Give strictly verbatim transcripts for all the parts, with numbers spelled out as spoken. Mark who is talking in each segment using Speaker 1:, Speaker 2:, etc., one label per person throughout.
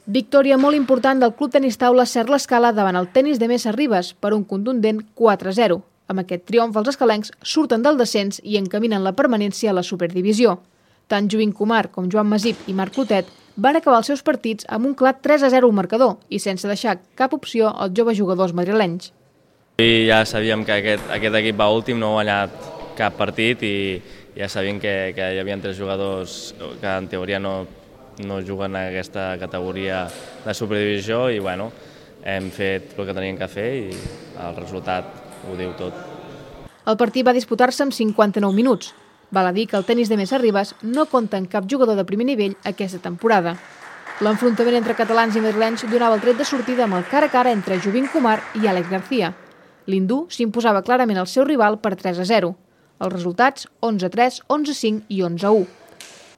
Speaker 1: Victòria molt important del Club Tenis Taula Cert l'Escala davant el Tenis de Mesa Ribes per un contundent quatre a zero. Amb aquest triomf, els escalencs surten del descens i encaminen la permanència a la Superdivisió. Tant Jovin Kumar com Joan Masip i Marc Clotet van acabar els seus partits amb un clar tres a zero al marcador i sense deixar cap opció als joves jugadors madrilenys.
Speaker 2: I ja sabíem que aquest, aquest equip va últim, no ha guanyat cap partit i ja sabíem que, que hi havia tres jugadors que en teoria no, no juguen a aquesta categoria de Superdivisió i bueno, hem fet el que teníem que fer i el resultat ho diu tot.
Speaker 1: El partit va disputar-se en cinquanta-nou minuts. Val a dir que el Tenis de Mesa Ribes no compta amb cap jugador de primer nivell aquesta temporada. L'enfrontament entre catalans i madrilenys donava el tret de sortida amb el cara a cara entre Jovin Kumar i Àlex García. L'hindú s'imposava clarament al seu rival per tres a zero. Els resultats onze a tres, onze a cinc i onze a u.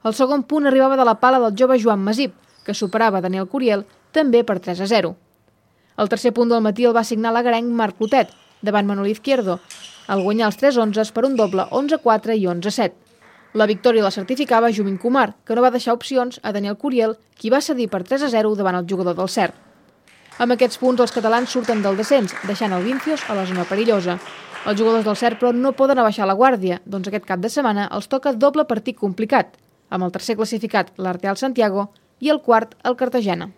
Speaker 1: El segon punt arribava de la pala del jove Joan Masip, que superava Daniel Curiel també per tres a zero. El tercer punt del matí el va signar l'agarenc Marc Clotet, davant Manuel Izquierdo, al guanyar els tres onze per un doble onze a quatre i onze a set. La victòria la certificava Jovin Kumar, que no va deixar opcions a Daniel Curiel, qui va cedir per tres a zero davant el jugador del Cert. Amb aquests punts, els catalans surten del descens, deixant el Vincios a la zona perillosa. Els jugadors del Cert, però, no poden abaixar la guàrdia, doncs aquest cap de setmana els toca doble partit complicat, amb el tercer classificat, l'Arteal Santiago, i el quart, el Cartagena.